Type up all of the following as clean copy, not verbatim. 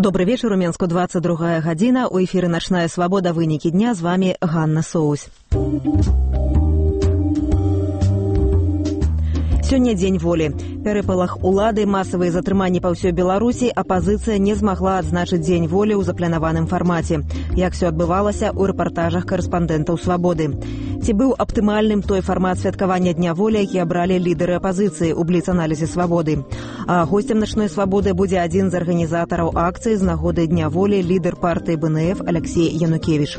Добрый вечер, у Менску 22 гадзіна. У эфіры «Начная свабода. Вынікі дня». З вами Ганна Соусь. Сёння дзень волі. Перапалах улады, масавыя затрыманні па ўсёй Беларусі, апазіцыя не змагла адзначыць дзень волі ў запланаваным фармаце. Як всё адбывалася ў рэпартажах карэспандэнтаў «Свабоды». Ці быў аптымальным той фармат святкавання Дня волі, які абралі лідары апазіцыі ў бліц-аналізе «Свабоды». А госцем «Начной свабоды» будзе адзін з арганізатараў акцыі з нагоды Дня волі, лідар партыі БНФ Алексей Янукевіч.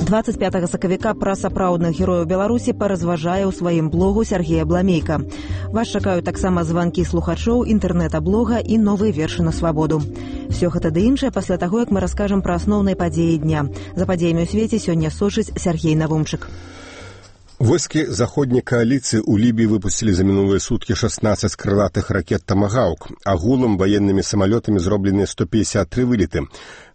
25 сакавіка пра сапраўдных герояў Беларусі паразважае ў сваім блогу Сергей Абламейка. Вас чакаюць таксама званкі слухачоў, інтэрнэта-блога і новыя вершы на свабоду. Всё гэта ды іншае пасля таго, як мы раскажам пра асноўныя падзеі дня. За падзеямі ў свеце сёння сочыць Сергей Навумчык. Войскі заходняй кааліцыі ў Лібіі выпусцілі за мінулыя суткі 16 крылатых ракет «Тамагаўк». Агулам ваеннымі самалётамі зроблены 153 вылеты.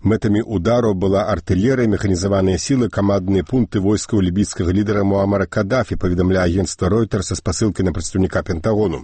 Мэтамі удараў была артылерыя, механізаваныя сілы, камандныя пункты войскаў лібійскага лідара Муамара Кадафі, паведамляе агенцтва Reuters са спасылкай на прадстаўніка Пентагону.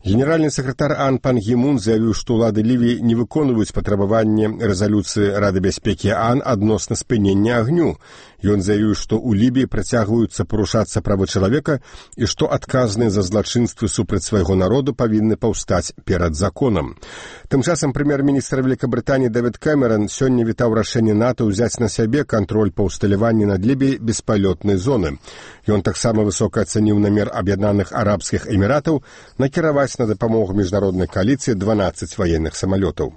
Генеральны сакратар Ан Пан Гі Мун заявіў, што ўлады Лівіі не выконваюць патрабаванне рэзалюцыі Рады бяспекі ААН адносна спынення агню. Ён заявіў, што ў Лібіі працягваюцца парушацца правы чалавека і што адказныя за злачынствы супраць свайго народу павінны паўстаць перад законам. Тым часам прэм'ер-міністр Вялікабрытаніі Дэвід Кэмерон сёння вітаў рашэнне НАТО ўзяць на сябе кантроль па ўсталяванні над Лібіяй беспалётнай зоны. Ён таксама высока ацаніў намер Аб'яднаных Арабскіх Эміратаў накіраваць на дапамогу міжнароднай кааліцыі 12 ваенных самалётаў.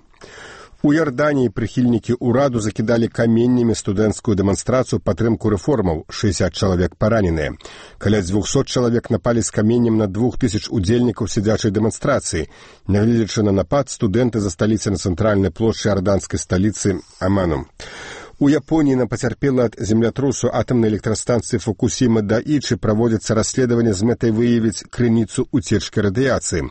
У Іорданіі прыхільнікі ўраду закідалі каменнямі студэнцкую дэманстрацыю падтрымку рэформаў, 60 чалавек параненыя. Каля 200 чалавек напалі з каменнем на 2000 удзельнікаў сядзячай дэманстрацыі. Нягледзячы на напад, студэнты засталіся на цэнтральнай плошчы іорданскай сталіцы Аману. У Японіі на пацярпела ад землятрусу атамнай электрастанцыі Фукусіма Даічы праводзіцца расследаванне з мэтай выявіць крыніцу уцечкі радыяцыі.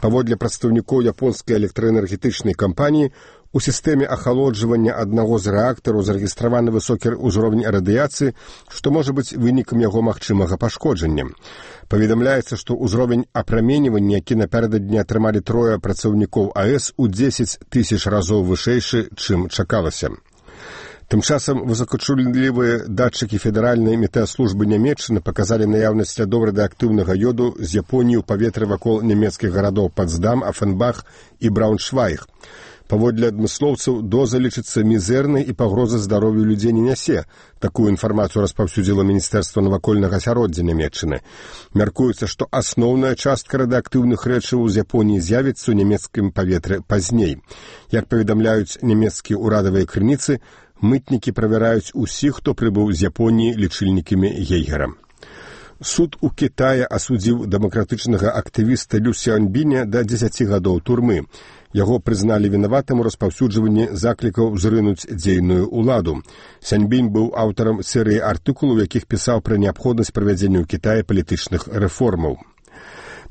Паводле прадстаўнікоў японскай электраэнергетычнай кампаніі, у сістэме ахалоджвання аднаго з рэактараў зарэгістраваны высокі ўзровень радыяцыі, што можа быць вынікам яго магчымага пашкоджання. Паведамляецца, што ўзровень апраменьвання, які напярэдадні атрымалі трое працаўнікоў АЭС, у 10 000 разоў вышэйшы, чым чакалася. Тым часам высокачуллівыя датчыкі федэральнай метэаслужбы Нямецчыны паказалі наяўнасць слядоў радыеактыўнага ёду з Японіі ў паветры вакол нямецкіх гарадоў Потсдам, Афенбах і Брауншвайг. Паводле адмыслоўцаў, доза лічыцца мізэрнай і пагрозы здароўю людзей не нясе. Такую інфармацыю распаўсюдзіла Міністэрства навакольнага асяроддзя Нямецчыны. Мяркуецца, што асноўная частка радыеактыўных рэчываў з Японіі з'явіцца ў нямецкім паветры пазней. Як паведамляюць нямецкія ўрадавыя крыніцы, мытнікі правяраюць усіх, хто прыбыў з Японіі лічыльнікамі Гейгера. Суд у Кітаі асудзіў дэмакратычнага актывіста Лю Сяоньбіня да 10 гадоў турмы. Яго прызналі вінаватым у распаўсюджванні заклікаў зрынуць дзейную ўладу. Сяньбінь быў аўтарам серыі артыкулаў, якіх пісаў пра неабходнасць правядзення ў Кітаі палітычных рэформаў.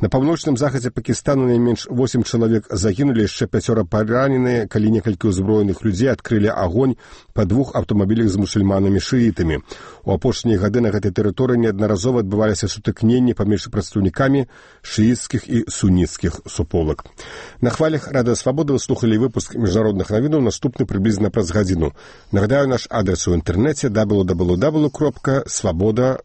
На паўночным захадзе Пакістану найменш 8 чалавек загінулі, яшчэ 5 параненыя, калі некалькі ўзброеных людзей адкрылі агонь па 2 аўтамабілях з мусульманамі-шыітамі. У апошнія гады на гэтай тэрыторыі неаднаразова адбываліся сутыкненні паміж прадстаўнікамі шыіцкіх і суніцкіх суполак. На хвалях Радыё Свабода вы слухалі выпуск міжнародных навінаў, наступны прыблізна праз гадзіну. Нагадаю, наш адрес у інтэрнэце www.swaboda.org.